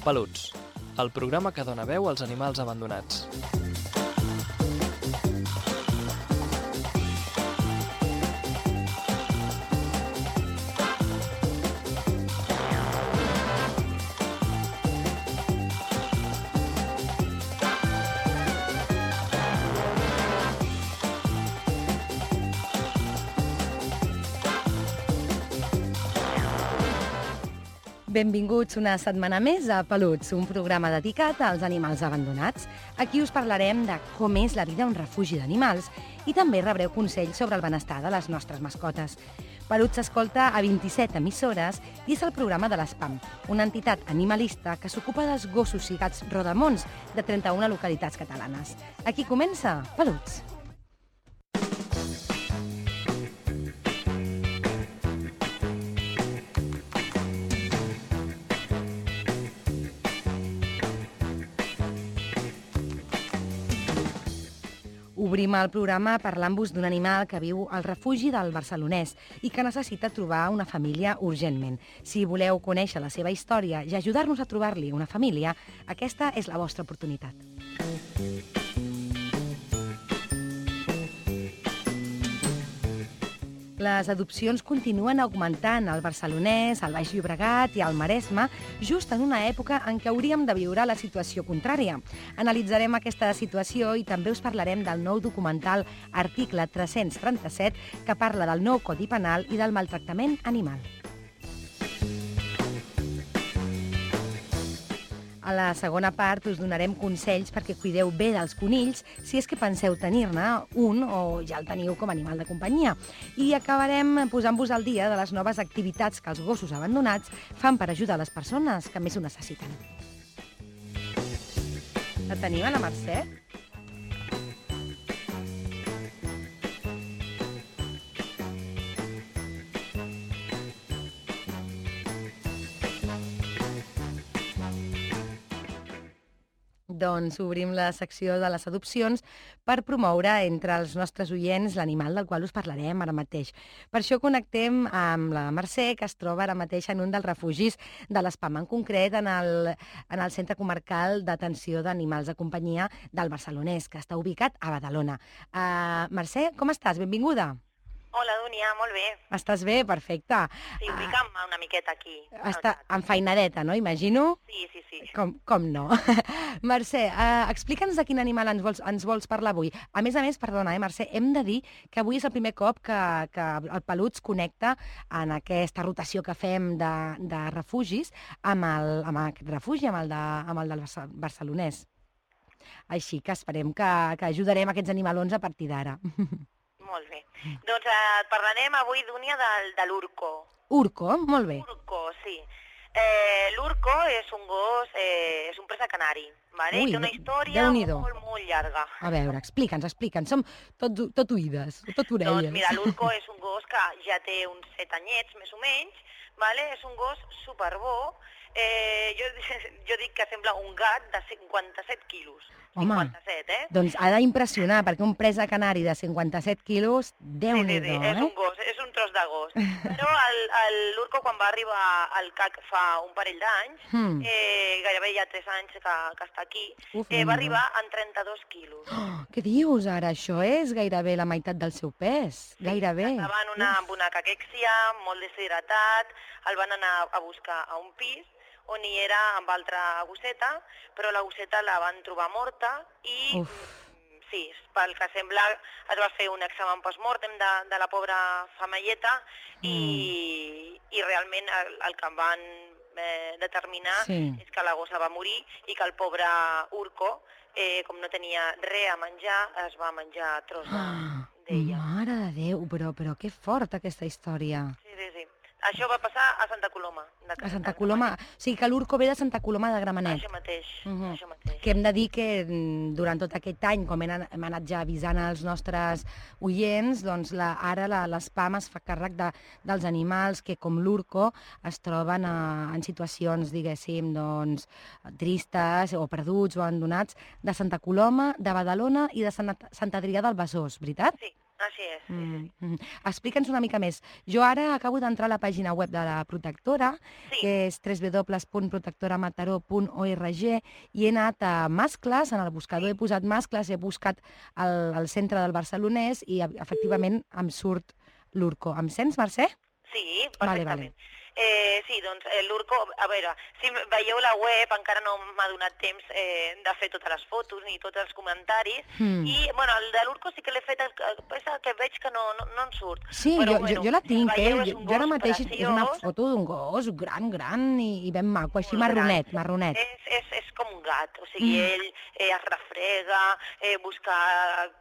Peluts, el programa que dona veu als animals abandonats. Benvinguts una setmana més a Peluts, un programa dedicat als animals abandonats. Aquí us parlarem de com és la vida a un refugi d'animals i també rebreu consells sobre el benestar de les nostres mascotes. Peluts s'escolta a 27 emissores i és el programa de l'ESPAM, una entitat animalista que s'ocupa dels gossos i gats rodamons de 31 localitats catalanes. Aquí comença Peluts. Obrim el programa parlant-vos d'un animal que viu al refugi del Barcelonès i que necessita trobar una família urgentment. Si voleu conèixer la seva història i ajudar-nos a trobar-li una família, aquesta és la vostra oportunitat. Les adopcions continuen augmentant al Barcelonès, al Baix Llobregat i al Maresme, just en una època en què hauríem de viure la situació contrària. Analitzarem aquesta situació i també us parlarem del nou documental Article 337, que parla del nou Codi Penal i del maltractament animal. A la segona part us donarem consells perquè cuideu bé dels conills si és que penseu tenir-ne un o ja el teniu com a animal de companyia. I acabarem posant-vos al dia de les noves activitats que els gossos abandonats fan per ajudar les persones que més ho necessiten. La tenim, la Mercè? Doncs obrim la secció de les adopcions per promoure entre els nostres oients l'animal del qual us parlarem ara mateix. Per això connectem amb la Mercè, que es troba ara mateix en un dels refugis de l'ESPAM, en concret en el Centre Comarcal d'Atenció d'Animals de Companyia del Barcelonès, que està ubicat a Badalona. Mercè, com estàs? Benvinguda. Hola, Dúnia, molt bé. Estàs bé? Perfecte. Sí, ubica'm una miqueta aquí. Està enfeinadeta, no? Imagino? Sí. Com no? Mercè, explica'ns de quin animal ens vols parlar avui. A més, perdona, Mercè, hem de dir que avui és el primer cop que el Peluts connecta en aquesta rotació que fem de refugis amb aquest refugi, amb el del Barcelonès. Així que esperem que ajudarem aquests animalons a partir d'ara. Molt bé. Doncs et parlarem avui, Dúnia, de l'Urco. Urco? Molt bé. Urco, sí. L'Urco és un gos, és un presa canari, vale? Té una història molt llarga. A veure, explica'ns. Som tot oïdes, tot orelles. Doncs mira, l'Urco és un gos que ja té uns 7 anyets, més o menys, vale? És un gos superbo. Jo dic que sembla un gat de 57 quilos. Home, 57, doncs ha d'impressionar, perquè un presa canari de 57 quilos, Déu-n'hi-do, Sí, és un gos, és un tros de gos. Però l'Urco, quan va arribar al CAC fa un parell d'anys, gairebé ja 3 anys que està aquí, va arribar en 32 quilos. Què dius ara? Això és gairebé la meitat del seu pes, gairebé. Estava amb una caquèxia, molt deshidratat, el van anar a buscar a un pis, on hi era amb altra gosseta, però la gosseta la van trobar morta i, sí, pel que sembla, es va fer un examen post-mortem de la pobra femelleta i realment el que van determinar és que la gossa va morir i que el pobre Urco, com no tenia res a menjar, es va menjar tros d'ella. Mare de Déu, però que fort aquesta història. Sí. Això va passar a Santa Coloma. A Santa Coloma, o sigui que l'Urco ve de Santa Coloma de Gramenet. Això mateix. Que hem de dir que durant tot aquest any, com hem anat ja avisant als nostres oients, doncs ara l'ESPAM es fa càrrec dels animals que, com l'Urco, es troben en situacions, diguéssim, doncs, tristes o perduts o abandonats de Santa Coloma, de Badalona i de Sant Adrià del Besòs, veritat? Sí. Així és, sí. Explica'ns una mica més. Jo ara acabo d'entrar a la pàgina web de la protectora, que és www.protectoramataró.org, i he anat a mascles, en el buscador he posat mascles, he buscat el centre del barcelonès i efectivament em surt l'Urco. Em sents, Mercè? Sí, perfectament. Vale. Sí, doncs l'Urco, a veure, si veieu la web, encara no m'ha donat temps de fer totes les fotos ni tots els comentaris, i bueno, el de l'Urco sí que l'he fet, és el que veig que no en surt. Sí, però, jo la tinc, jo ara mateix és una foto d'un gos gran i ben maco, així marronet. És com un gat, o sigui, ell es refrega, busca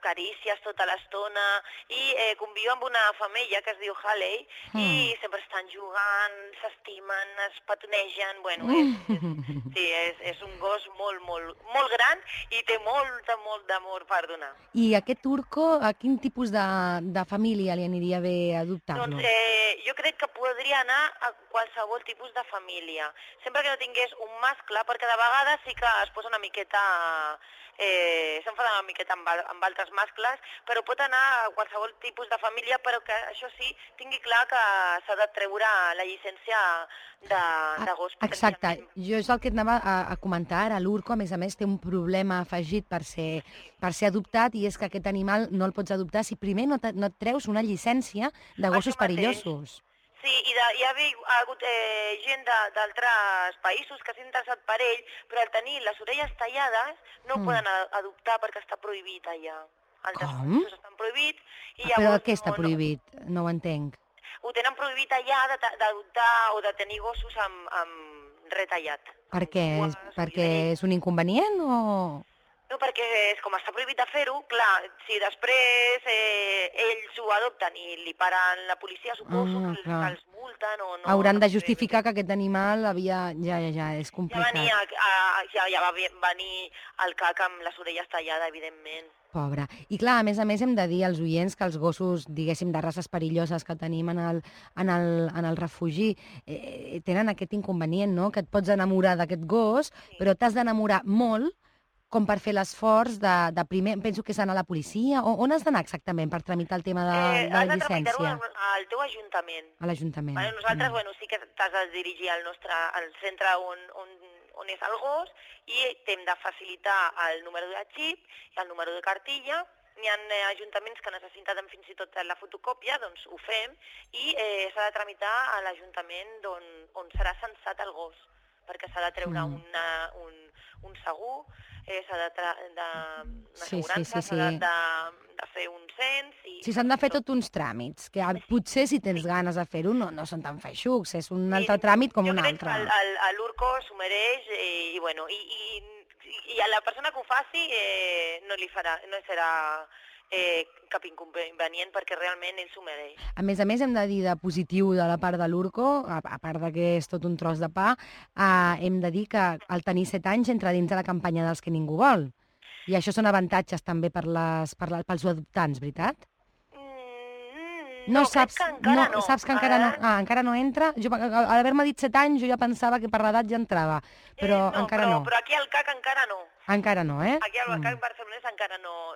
carícies tota l'estona, i conviu amb una femella que es diu Halley, i sempre estan jugant, s'estimen, es petonegen, bueno, és un gos molt gran i té molt d'amor per donar. I aquest Urco, a quin tipus de família li aniria bé adoptar-lo? Doncs jo crec que podria anar a qualsevol tipus de família, sempre que no tingués un mascle, perquè de vegades sí que es posa una miqueta, s'enfada una miqueta amb altres mascles, però pot anar a qualsevol tipus de família, però que això sí, tingui clar que s'ha de treure la llicència de gos. Exacte, jo és el que et anava a comentar ara. L'Urco, a més, té un problema afegit per ser adoptat, i és que aquest animal no el pots adoptar si primer no et treus una llicència de gossos perillosos. Sí, i hi ha hagut gent d'altres països que s'ha interessat per ell, però al tenir les orelles tallades no ho poden adoptar perquè està prohibit allà. Altres països estan prohibits. Però què està prohibit? No ho entenc. Ho tenen prohibit allà d'adoptar o de tenir gossos amb retallat. Per què? Perquè és un inconvenient o...? No, perquè com està prohibit de fer-ho, clar, si després ells ho adopten i li paren la policia, suposo que els multen o no... Hauran de justificar que aquest animal havia... Ja, és complicat. Ja va venir el cac amb les orelles tallades, evidentment. Pobre. I clar, a més hem de dir als oients que els gossos, diguéssim, de races perilloses que tenim en el refugi tenen aquest inconvenient, no?, que et pots enamorar d'aquest gos, però t'has d'enamorar molt com per fer l'esforç de primer, penso que és anar a la policia, on has d'anar exactament per tramitar el tema de la llicència? Has de tramitar-ho al teu ajuntament. A l'Ajuntament. Nosaltres, sí que t'has de dirigir al centre on és el gos, i t'hem de facilitar el número de xip i el número de cartilla. Hi ha ajuntaments que necessiten fins i tot la fotocòpia, doncs ho fem, i s'ha de tramitar a l'Ajuntament on serà censat el gos, perquè s'ha de treure un segur, s'ha de fer un cens... Sí, s'han de fer tots uns tràmits, que potser si tens ganes de fer-ho no són tan feixucs, és un altre tràmit com un altre. Jo crec que l'Urco s'ho mereix, i a la persona que ho faci no serà cap inconvenient, perquè realment ell s'ho mereix. A més, hem de dir de positiu de la part de l'Urco, a part que és tot un tros de pa, hem de dir que al tenir 7 anys entra dins de la campanya dels que ningú vol. I això són avantatges també pels adoptants, veritat? No, crec que encara no. Saps que encara no? Encara no entra? A l'haver-me dit 7 anys, jo ja pensava que per l'edat ja entrava, però encara no. Però aquí al CAC encara no. Encara no, eh? Aquí al CAC barcelonès encara no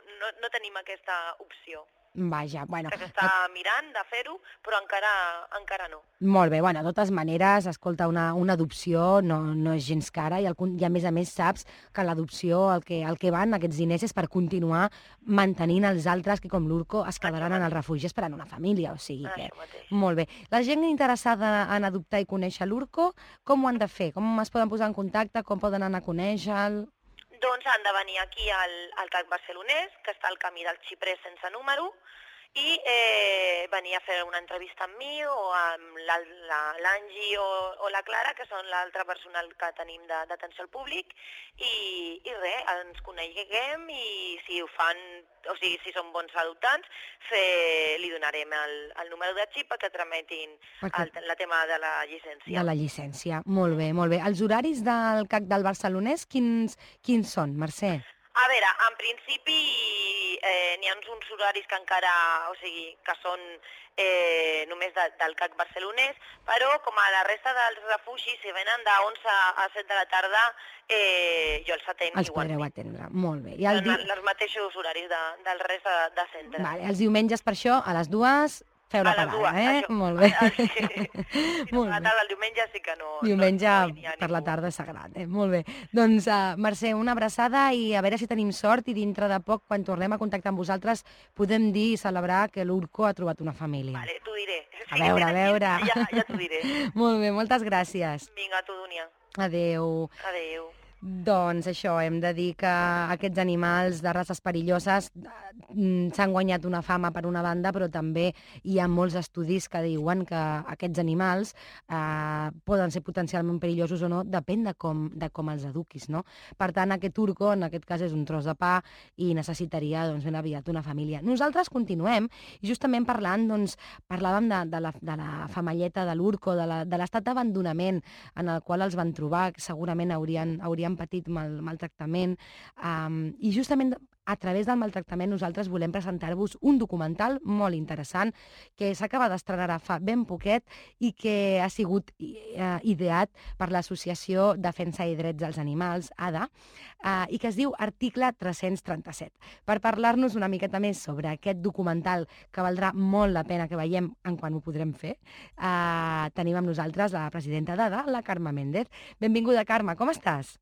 tenim aquesta opció. Vaja, bueno. Que s'està mirant de fer-ho, però encara no. Molt bé, bueno, de totes maneres, escolta, una adopció no és gens cara, i a més saps que l'adopció, el que van aquests diners és per continuar mantenint els altres que, com l'Urco, es quedaran en el refugi esperant una família, o sigui que... Molt bé. La gent interessada en adoptar i conèixer l'Urco, com ho han de fer? Com es poden posar en contacte? Com poden anar a conèixer-lo? Doncs han de venir aquí al CAC barcelonès, que està al camí del Xiprer sense número, i venir a fer una entrevista amb mi o amb l'Angi o la Clara, que són l'altre personal que tenim d'atenció al públic, i res, ens coneguem, i si ho fan, o sigui, si són bons adoptants, li donarem el número de xip perquè tramitin el tema de la llicència. De la llicència, molt bé, molt bé. Els horaris del CAC del barcelonès, quins són, Mercè? A veure, en principi n'hi ha uns horaris que encara, o sigui, que són només del CAC barcelonès, però com a la resta dels refugis, si venen de 11 a 7 de la tarda, jo els atenc Els podreu igualment. atendre, molt bé. I Són els mateixos horaris del rest de centres. Vale, els diumenges per això, a les 2, feu la A les parada, 2, això. Molt bé. Sí, no, a la tarda, el diumenge sí que no. Diumenge no hi ha per la ningú. tarda és sagrat, Molt bé. Doncs, Mercè, una abraçada i a veure si tenim sort i dintre de poc, quan tornem a contactar amb vosaltres, podem dir i celebrar que l'Urco ha trobat una família. Vale, t'ho diré. A veure. Ja t'ho diré. Molt bé, moltes gràcies. Vinga, tu, Dúnia. Adéu. Adéu. Doncs això, hem de dir que aquests animals de races perilloses s'han guanyat una fama per una banda, però també hi ha molts estudis que diuen que aquests animals poden ser potencialment perillosos o no, depèn de com els eduquis, no? Per tant, aquest urco, en aquest cas, és un tros de pa i necessitaria, doncs, ben aviat una família. Nosaltres continuem, i justament parlant, doncs, parlàvem de la femelleta de l'urco, de l'estat d'abandonament en el qual els van trobar, que segurament haurien patit maltractament, i justament a través del maltractament nosaltres volem presentar-vos un documental molt interessant que s'acaba d'estrenar fa ben poquet i que ha sigut ideat per l'Associació Defensa i Drets dels Animals, ADA, i que es diu Article 337. Per parlar-nos una miqueta més sobre aquest documental que valdrà molt la pena que veiem en quan ho podrem fer, tenim amb nosaltres la presidenta d'ADA, la Carme Méndez. Benvinguda, Carme, com estàs?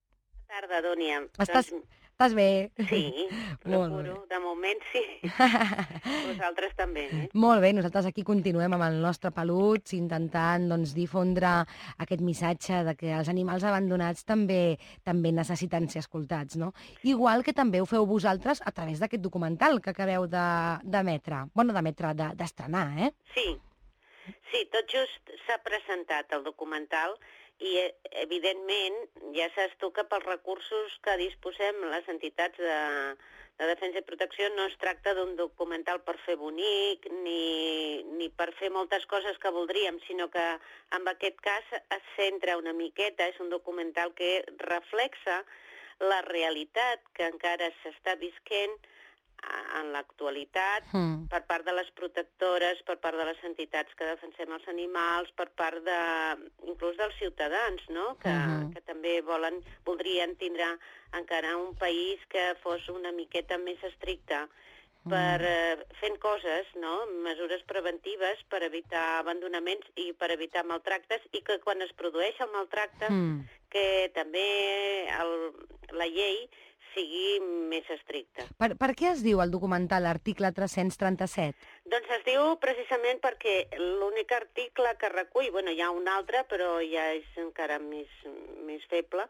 Bona tarda, Dúnia. Estàs bé? Sí, procuro. De moment sí. Vosaltres també, Molt bé, nosaltres aquí continuem amb el nostre peluts intentant difondre aquest missatge de que els animals abandonats també necessiten ser escoltats, no? Igual que també ho feu vosaltres a través d'aquest documental que acabeu d'estrenar, Sí, tot just s'ha presentat el documental i, evidentment, ja saps tu que pels recursos que disposem les entitats de defensa i protecció no es tracta d'un documental per fer bonic ni per fer moltes coses que voldríem, sinó que en aquest cas es centra una miqueta, és un documental que reflexa la realitat que encara s'està visquent en l'actualitat per part de les protectores, per part de les entitats que defensem els animals, per part inclús dels ciutadans, no? Que també voldrien tindre encara un país que fos una miqueta més estricte fent coses, no? Mesures preventives per evitar abandonaments i per evitar maltractes, i que quan es produeix el maltracte que també la llei sigui més estricta. Per què es diu el documental Article 337? Doncs es diu precisament perquè l'únic article que recull, hi ha un altre, però ja és encara més feble,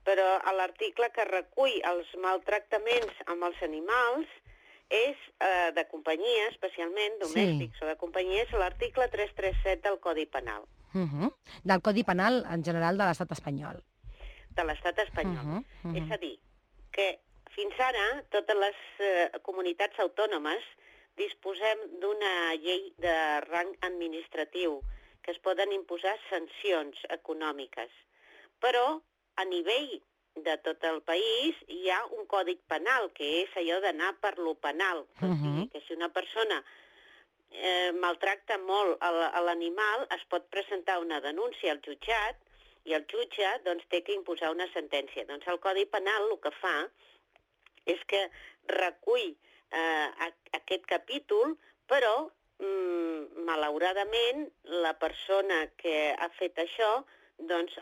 però l'article que recull els maltractaments amb els animals és de companyia, especialment domèstics o de companyia, és l'article 337 del Codi Penal. Del Codi Penal en general de l'estat espanyol. De l'estat espanyol. És a dir, que fins ara totes les comunitats autònomes disposem d'una llei de rang administratiu que es poden imposar sancions econòmiques. Però a nivell de tot el país hi ha un codi penal, que és allò d'anar per lo penal. O sigui, que si una persona maltracta molt l'animal, es pot presentar una denúncia al jutjat i el jutge té que imposar una sentència. Doncs el Codi Penal el que fa és que recull aquest capítol, però malauradament la persona que ha fet això,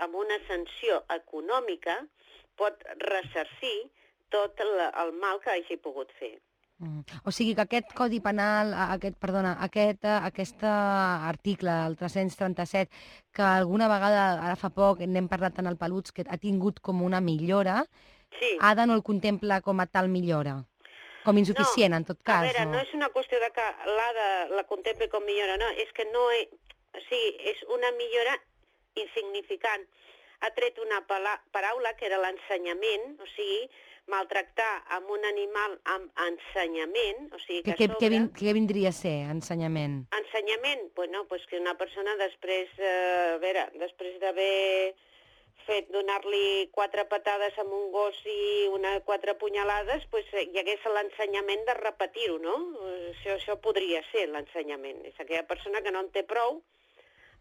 amb una sanció econòmica pot ressarcir tot el mal que hagi pogut fer. O sigui que aquest Codi Penal, aquest article, el 337, que alguna vegada, ara fa poc, n'hem parlat en el Peluts, que ha tingut com una millora, ADA no el contempla com a tal millora? Com insuficient, en tot cas? A veure, no és una qüestió de que l'ADA la contempli com millora, no, és que no... O sigui, és una millora insignificant. Ha tret una paraula que era l'ensenyament, o sigui, maltractar amb un animal amb ensenyament, o sigui que a sobre... Què vindria a ser, ensenyament? Ensenyament? Doncs que una persona després d'haver fet donar-li 4 patades amb un gos i 4 punyalades, doncs hi hagués l'ensenyament de repetir-ho, no? Això podria ser l'ensenyament. És aquella persona que no en té prou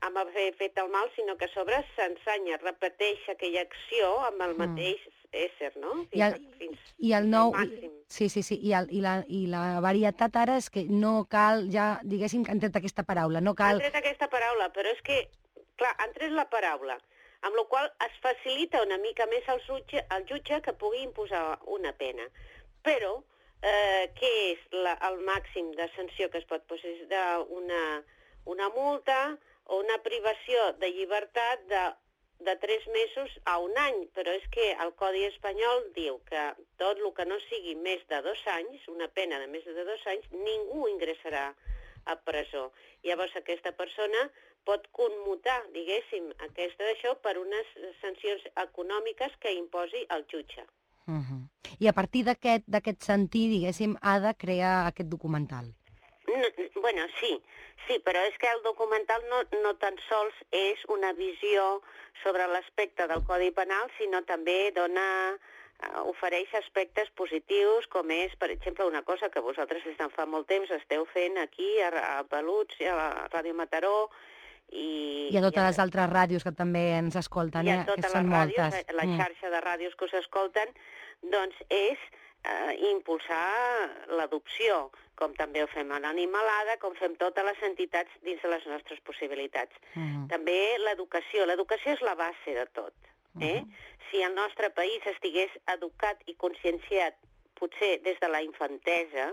amb haver fet el mal, sinó que a sobre s'ensenya, repeteix aquella acció amb el mateix ésser, no? I el nou... Sí. I la varietat ara és que no cal, ja, diguéssim, que han tret aquesta paraula, no cal... Han tret aquesta paraula, però és que, clar, han tret la paraula, amb la qual es facilita una mica més al jutge que pugui imposar una pena. Però, què és el màxim de sanció que es pot posar? És una multa o una privació de llibertat de 3 mesos a 1 any, però és que el Codi espanyol diu que tot el que no sigui més de 2 anys, una pena de més de 2 anys, ningú ingressarà a presó. Llavors aquesta persona pot commutar, diguéssim, d'això per unes sancions econòmiques que imposi el jutge. I a partir d'aquest sentit, diguéssim, ha de crear aquest documental. Bueno, sí, però és que el documental no tan sols és una visió sobre l'aspecte del Codi Penal, sinó també ofereix aspectes positius, com és, per exemple, una cosa que vosaltres des de fa molt temps esteu fent aquí a Peluts, a la Ràdio Mataró, i a totes les altres ràdios que també ens escolten, que són moltes. I a totes les ràdios, la xarxa de ràdios que us escolten, doncs és impulsar l'adopció, com també ho fem a l'Animalada, com fem totes les entitats dins de les nostres possibilitats. També l'educació. L'educació és la base de tot. Si el nostre país estigués educat i conscienciat, potser des de la infantesa,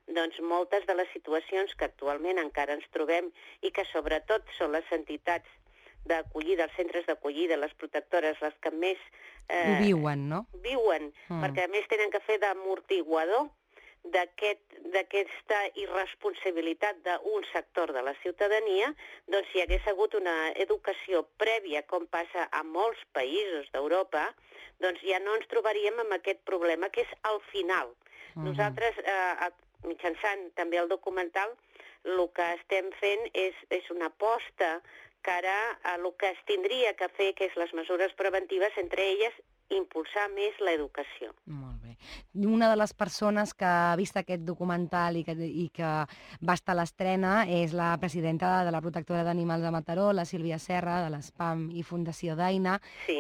doncs moltes de les situacions que actualment encara ens trobem i que sobretot són les entitats d'acollida, els centres d'acollida, les protectores, les que més... Ho viuen, no? Viuen, perquè a més tenen que fer d'amortiguador d'aquesta irresponsabilitat d'un sector de la ciutadania, doncs si hi hagués hagut una educació prèvia, com passa a molts països d'Europa, doncs ja no ens trobaríem amb aquest problema, que és al final. Nosaltres, mitjançant també el documental, el que estem fent és una aposta cara a el que es tindria que fer, que és les mesures preventives, entre elles impulsar més l'educació. Molt bé. Una de les persones que ha vist aquest documental i que va estar a l'estrena és la presidenta de la Protectora d'Animals de Mataró, la Sílvia Serra, de l'ESPAM i Fundació Daina. Sí.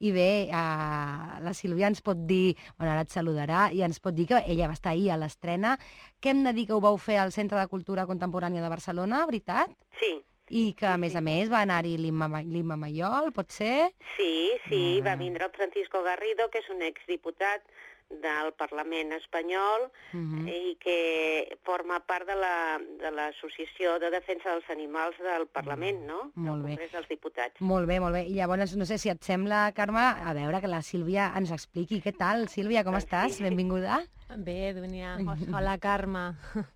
I bé, la Sílvia ens pot dir, bueno, ara et saludarà, i ens pot dir que ella va estar ahir a l'estrena. Què hem de dir que ho vau fer al Centre de Cultura Contemporània de Barcelona, veritat? Sí. I que, a més, va anar-hi l'Imma Mayol, pot ser? Sí, va vindre el Francisco Garrido, que és un exdiputat del Parlament espanyol i que forma part de l'Associació de Defensa dels Animals del Parlament, no? Molt bé. Del Congrés dels Diputats. Molt bé. I llavors, no sé si et sembla, Carme, a veure que la Sílvia ens expliqui. Què tal, Sílvia, com estàs? Benvinguda. Bé, Dúnia. Hola, Carme.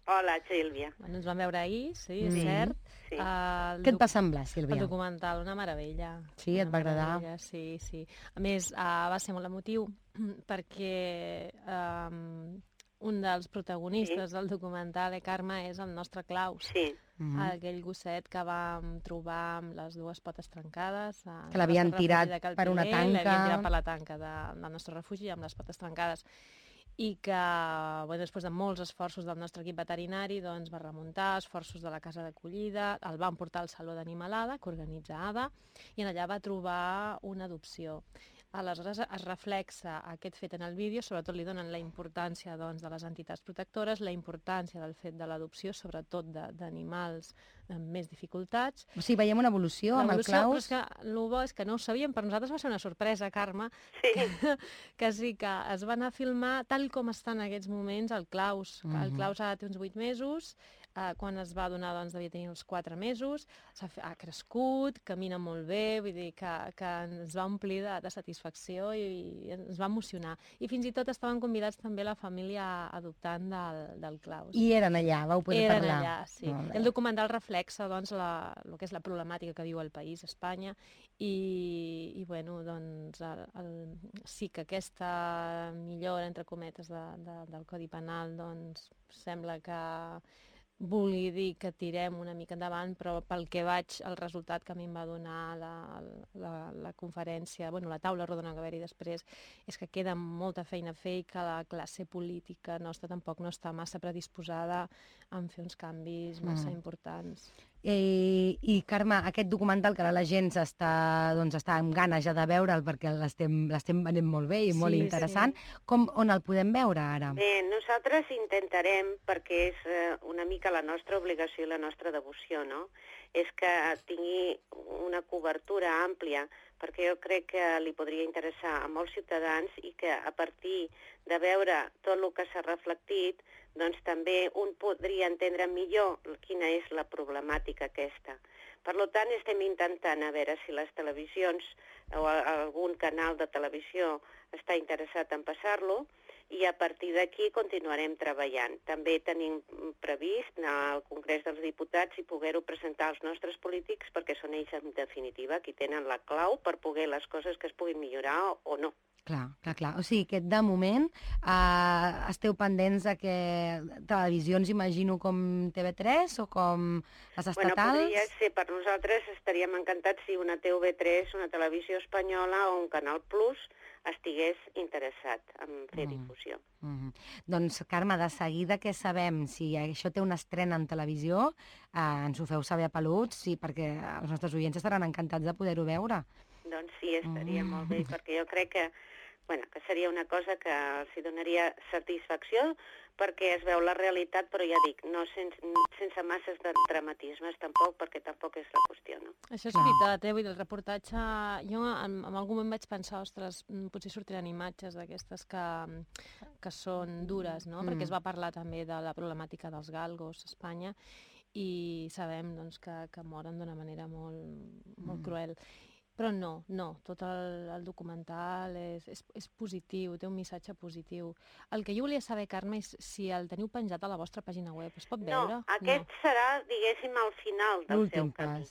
Hola, Sílvia. Ens vam veure ahir, sí, és cert. Sí. Què et va semblar, Sílvia? El documental, una meravella. Sí, et va agradar? Sí. A més, va ser molt emotiu perquè un dels protagonistes del documental, Carme, és el nostre Claus. Sí. Aquell gosset que vam trobar amb les 2 potes trencades. Que l'havien tirat per una tanca. L'havien tirat per la tanca del nostre refugi amb les potes trencades. I que, després de molts esforços del nostre equip veterinari, doncs va remuntar, esforços de la casa d'acollida, el van portar al Saló d'Animalada, que organitza ADA, i en allà va trobar una adopció. Aleshores es reflexa aquest fet en el vídeo, sobretot li donen la importància de les entitats protectores, la importància del fet de l'adopció, sobretot d'animals amb més dificultats. O sigui, veiem una evolució amb el Claus. Però és que el bo és que no ho sabíem, per nosaltres va ser una sorpresa, Carme, que sí que es va anar a filmar tal com està en aquests moments el Claus. El Claus ara té uns 8 mesos, quan es va donar devia tenir uns 4 mesos, ha crescut, camina molt bé, vull dir que ens va omplir de satisfacció i ens va emocionar. I fins i tot estaven convidats també la família adoptant del Claus. I eren allà, vau poder parlar. Eren allà, sí. El documental reflexa el que és la problemàtica que viu el país, Espanya, i sí que aquesta millora, entre cometes, del Codi Penal, sembla que vulgui dir que tirem una mica endavant, però pel que el resultat que a mi em va donar la conferència, la taula rodona que va haver-hi després, és que queda molta feina a fer i que la classe política nostra tampoc no està massa predisposada a fer uns canvis massa importants. I Carme, aquest documental que ara la gent està amb ganes ja de veure'l perquè l'estem venent molt bé i molt interessant, on el podem veure ara? Bé, nosaltres intentarem, perquè és una mica la nostra obligació i la nostra devoció, no? És que tingui una cobertura àmplia, perquè jo crec que li podria interessar a molts ciutadans i que a partir de veure tot el que s'ha reflectit, doncs també un podria entendre millor quina és la problemàtica aquesta. Per tant, estem intentant a veure si les televisions o algun canal de televisió està interessat en passar-lo, i a partir d'aquí continuarem treballant. També tenim previst anar al Congrés dels Diputats i poder-ho presentar als nostres polítics perquè són ells, en definitiva, qui tenen la clau per poder les coses que es puguin millorar o no. Clar. O sigui que de moment esteu pendents de que televisions, imagino, com TV3 o com les estatals... Podria ser, per nosaltres estaríem encantats si una TV3, una televisió espanyola o un Canal Plus estigués interessat en fer difusió. Doncs, Carme, de seguida que sabem si això té una estrena en televisió, ens ho feu saber a Peluts, perquè els nostres oients estaran encantats de poder-ho veure. Doncs sí, estaria molt bé, perquè jo crec que seria una cosa que els donaria satisfacció, perquè es veu la realitat, però ja dic, no sense masses de dramatismes tampoc, perquè tampoc és la qüestió, no? Això és veritat, vull dir, el reportatge... Jo en algun moment vaig pensar, ostres, potser sortiran imatges d'aquestes que són dures, no? Perquè es va parlar també de la problemàtica dels galgos a Espanya i sabem doncs, que moren d'una manera molt cruel. Però no, tot el documental és positiu, té un missatge positiu. El que jo volia saber, Carme, és si el teniu penjat a la vostra pàgina web. Es pot veure? No, aquest serà, diguéssim, al final del seu camí.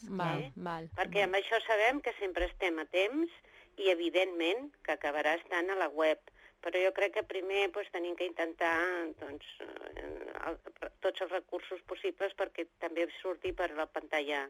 Val. Perquè amb això sabem que sempre estem a temps i, evidentment, que acabarà estant a la web. Però jo crec que primer tenim que intentar tots els recursos possibles perquè també surti per la pantalla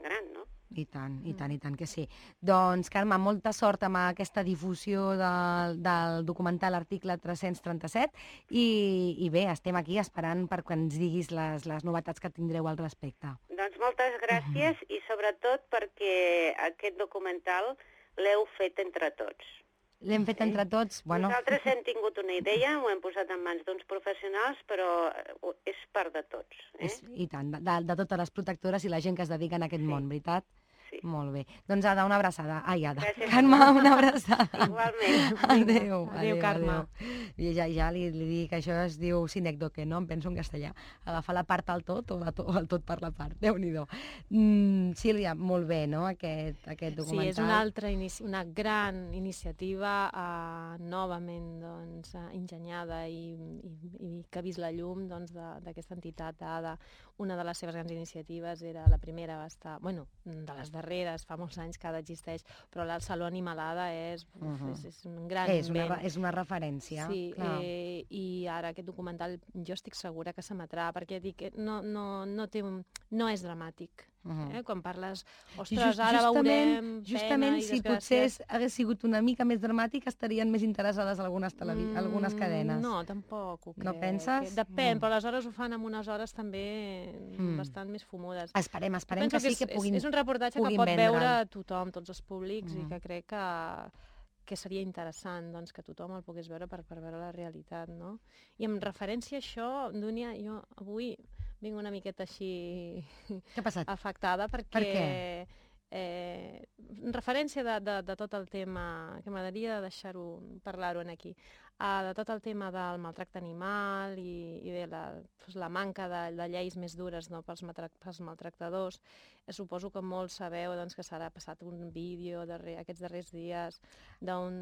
gran, no? I tant que sí. Doncs, Carme, molta sort amb aquesta difusió del documental Article 337 i bé, estem aquí esperant perquè ens diguis les novetats que tindreu al respecte. Doncs moltes gràcies i sobretot perquè aquest documental l'heu fet entre tots. L'hem fet entre tots? Nosaltres hem tingut una idea, ho hem posat en mans d'uns professionals, però és part de tots. I tant, de totes les protectores i la gent que es dedica a aquest món, veritat? Sí. Molt bé. Doncs Ada, una abraçada. Gràcies. Carme, una abraçada. Igualment. Adéu, Carme. I ja li dic que això es diu sinècdoque, no? Em penso en castellà. Agafar la part al tot o el tot per la part. Déu-n'hi-do. Sílvia, molt bé, no?, aquest documental. Sí, és una gran iniciativa novament enginyada i que ha vist la llum d'aquesta entitat ADA. Una de les seves grans iniciatives era la primera, va estar, de les darreres, fa molts anys que ADA existeix, però el Saló Animalada és un gran invent. És una referència. Sí, i ara aquest documental jo estic segura que s'emetrà, perquè dic, no és dramàtic. Quan parles, ostres, ara veurem justament pena i si potser hagués sigut una mica més dramàtic estarien més interessades algunes cadenes. No, tampoc ho crec. No penses? Depèn, però aleshores ho fan en unes hores també bastant més fumudes. Esperem que sí que puguin. És un reportatge que pot veure tothom, tots els públics, i que crec que seria interessant que tothom el pogués veure per veure la realitat, no? I en referència a això, Dúnia, jo avui vinc una miqueta així afectada perquè... Per què? En referència de tot el tema, que m'agradaria parlar-ho aquí, de tot el tema del maltracte animal i de la manca de lleis més dures pels maltractadors. Suposo que molts sabeu que s'ha passat un vídeo aquests darrers dies d'un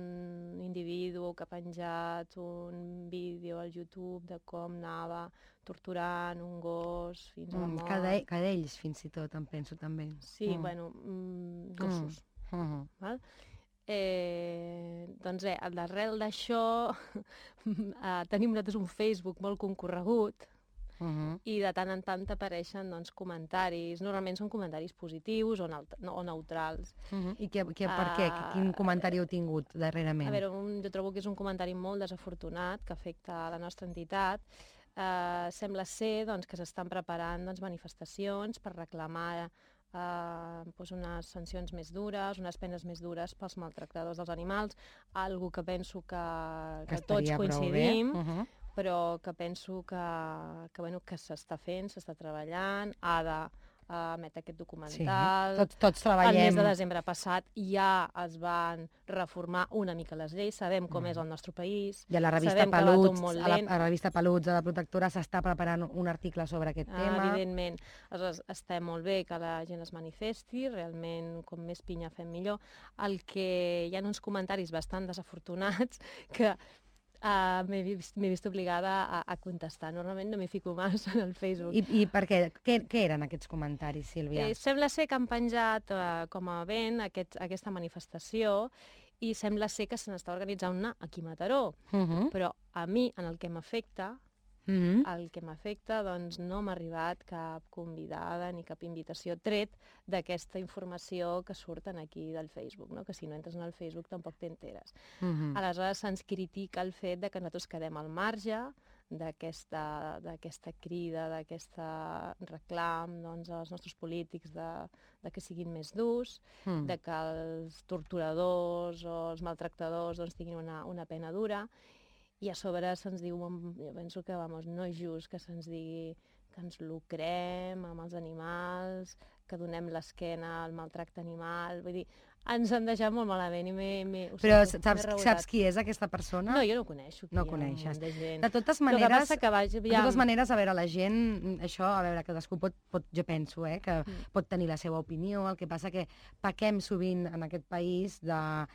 individu que ha penjat un vídeo al YouTube de com anava torturant un gos fins a la mort. Cadells, fins i tot, em penso també. Sí, gossos. Val? Doncs d'arrel d'això tenim nosaltres un Facebook molt concorregut i de tant en tant t'apareixen doncs, comentaris. Normalment són comentaris positius o neutrals. I per què? Quin comentari heu tingut darrerament? A veure, jo trobo que és un comentari molt desafortunat que afecta la nostra entitat. Sembla ser doncs, que s'estan preparant manifestacions per reclamar unes sancions més dures, unes penes més dures pels maltractadors dels animals, algo que penso que tots coincidim, però que penso que s'està fent, s'està treballant, emet aquest documental. Sí, tots treballem. El mes de desembre passat ja es van reformar una mica les lleis, sabem com és el nostre país, I a la revista Peluts, a la revista Peluts de la Protectora s'està preparant un article sobre aquest tema. Evidentment, està molt bé que la gent es manifesti, realment com més pinya fem millor. El que hi ha uns comentaris bastant desafortunats que m'he vist obligada a contestar. Normalment no m'hi fico massa en el Facebook. I per què? Què eren aquests comentaris, Sílvia? Sembla ser que han penjat com a event aquesta manifestació i sembla ser que se n'està organitzant una aquí a Mataró. Però a mi, en el que m'afecta, doncs no m'ha arribat cap convidada ni cap invitació tret d'aquesta informació que surten aquí del Facebook, no? Que si no entres en el Facebook tampoc t'enteres. Aleshores se'ns critica el fet de que nosaltres quedem al marge d'aquesta crida, d'aquest reclam als nostres polítics de que siguin més durs, de que els torturadors o els maltractadors tinguin una pena dura. I a sobre se'ns diu, jo penso que no és just que se'ns digui que ens lucrem amb els animals, que donem l'esquena al maltracte animal, vull dir, ens han deixat molt malament i Però saps qui és aquesta persona? No, jo no coneixo. No coneixes. De totes maneres, a veure, la gent, això, a veure, cadascú pot jo penso, que pot tenir la seva opinió, el que passa que pequem sovint en aquest país de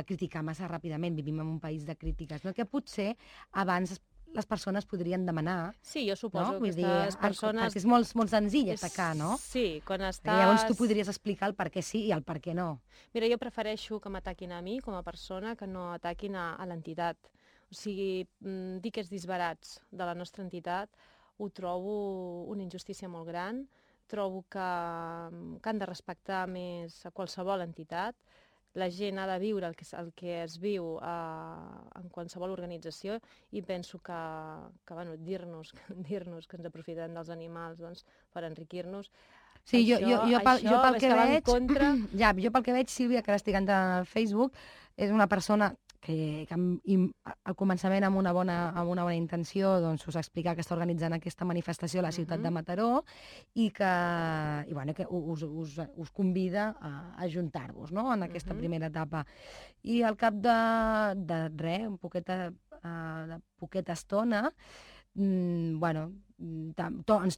criticar massa ràpidament, vivim en un país de crítiques, no? Que potser abans les persones podrien demanar. Sí, jo suposo que aquestes persones... Perquè és molt senzill atacar, no? Sí, quan estàs... Perquè llavors tu podries explicar el per què sí i el per què no. Mira, jo prefereixo que m'ataquin a mi com a persona que no ataquin a l'entitat. O sigui, dir que és disbarats de la nostra entitat ho trobo una injustícia molt gran. Trobo que han de respectar més a qualsevol entitat. La gent ha de viure el que es viu en qualsevol organització i penso que dir-nos que ens aprofitem dels animals per enriquir-nos. Sí, jo pel que veig, Sílvia, que ara estic entrant al Facebook, és una persona que al començament amb una bona intenció us explica que està organitzant aquesta manifestació a la ciutat de Mataró i que us convida a ajuntar-vos, no?, en aquesta primera etapa. I al cap de res, de poqueta estona, ens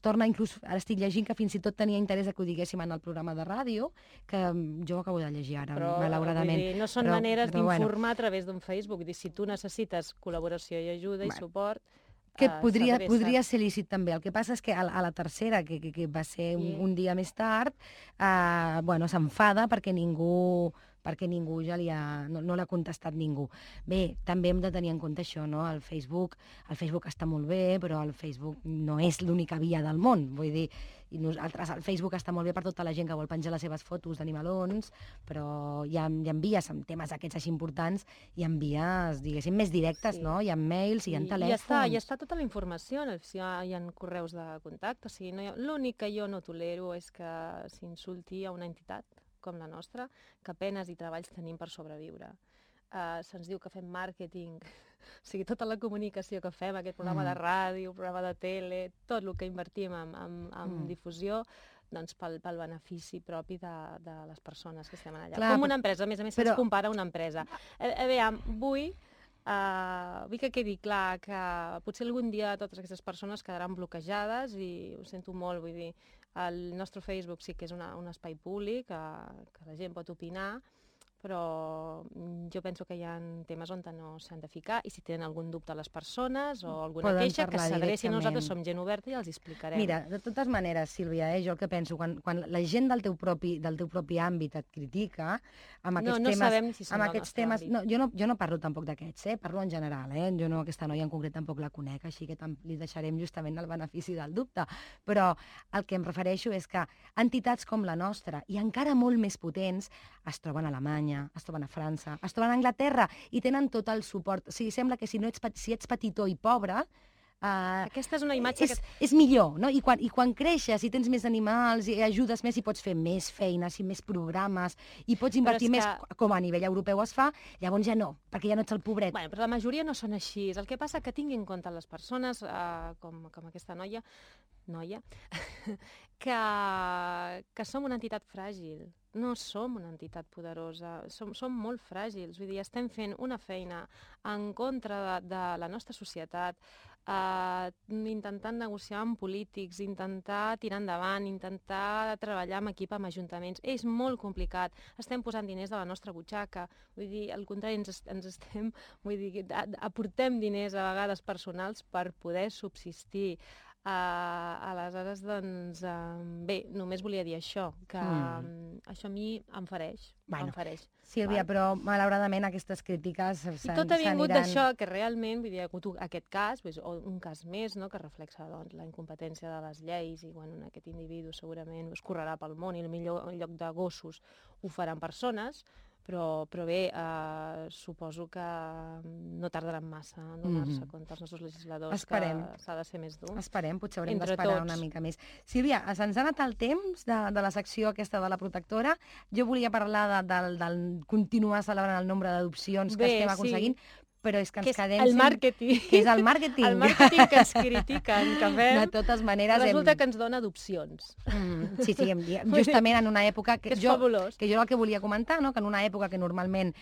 torna, inclús ara estic llegint que fins i tot tenia interès que ho diguéssim en el programa de ràdio, que jo ho acabo de llegir ara, malauradament. Però no són maneres d'informar a través d'un Facebook. Si tu necessites col·laboració i ajuda i suport... Que podria ser lícit també. El que passa és que a la tercera, que va ser un dia més tard, s'enfada perquè ningú ja no l'ha contestat ningú. Bé, també hem de tenir en compte això, no? El Facebook està molt bé, però el Facebook no és l'única via del món. Vull dir, el Facebook està molt bé per tota la gent que vol penjar les seves fotos d'animalons, però hi ha vies amb temes aquests així importants, hi ha vies, diguéssim, més directes, no? Hi ha mails, hi ha telèfons... I està tota la informació, hi ha correus de contacte, o sigui, l'únic que jo no tolero és que s'insulti a una entitat com la nostra, que penes i treballs tenim per sobreviure. Se'ns diu que fem màrqueting, o sigui, tota la comunicació que fem, aquest programa de ràdio, programa de tele, tot el que invertim en difusió, doncs pel benefici propi de les persones que estem allà. Com una empresa, a més se'ns compara a una empresa. A veure, vull que quedi clar que potser algun dia totes aquestes persones quedaran bloquejades i ho sento molt, vull dir, el nostre Facebook sí que és un espai públic, que la gent pot opinar, però jo penso que hi ha temes on no s'han de ficar i si tenen algun dubte a les persones o alguna Poden queixa, que parlar s'adrecin. directament. Nosaltres som gent oberta i els explicarem. Mira, de totes maneres, Sílvia, jo el que penso, quan la gent del teu propi àmbit et critica, amb aquests no temes... sabem si són amb del aquests nostre temes, àmbit. jo no parlo tampoc d'aquests, parlo en general, jo no, aquesta noia en concret tampoc la conec, així que li deixarem justament el benefici del dubte. Però el que em refereixo és que entitats com la nostra, i encara molt més potents, es troben a Alemanya, es troben a França, es troben a Anglaterra, i tenen tot el suport. O sigui, sembla que si ets petitó i pobre, aquesta és una imatge és millor, no? I quan creixes i tens més animals i ajudes més i pots fer més feines i més programes i pots invertir més, com a nivell europeu es fa, llavors ja no, perquè ja no ets el pobret. Bueno, però la majoria no són així. El que passa que tingui en compte les persones, com aquesta noia, que som una entitat fràgil. No som una entitat poderosa, som molt fràgils. Vull dir, estem fent una feina en contra de la nostra societat, intentant negociar amb polítics, intentar tirar endavant, intentar treballar en equip amb ajuntaments. És molt complicat. Estem posant diners de la nostra butxaca. Vull dir, al contrari, aportem diners a vegades personals per poder subsistir. Aleshores, doncs, bé, només volia dir això, que això a mi em fereix. Sílvia, però malauradament aquestes crítiques i tot ha vingut d'això, que realment, vull dir, ha hagut aquest cas, o un cas més, no?, que reflexa la incompetència de les lleis i, bueno, aquest individu segurament es correrà pel món i potser en lloc de gossos ho faran persones, però bé, suposo que no tardaran massa a donar-se compte als nostres legisladors que s'ha de ser més dur. Esperem, potser haurem d'esperar una mica més. Sílvia, se'ns ha anat el temps de la secció aquesta de la protectora. Jo volia parlar del continuar celebrant el nombre d'adopcions que estem aconseguint, però és que ens quedem... El màrqueting. Que és el màrqueting. El màrqueting que ens critiquen, que fem... De totes maneres... Resulta que ens dona adopcions. Sí, justament en una època... Que és fabulós. Que jo el que volia comentar, que en una època que normalment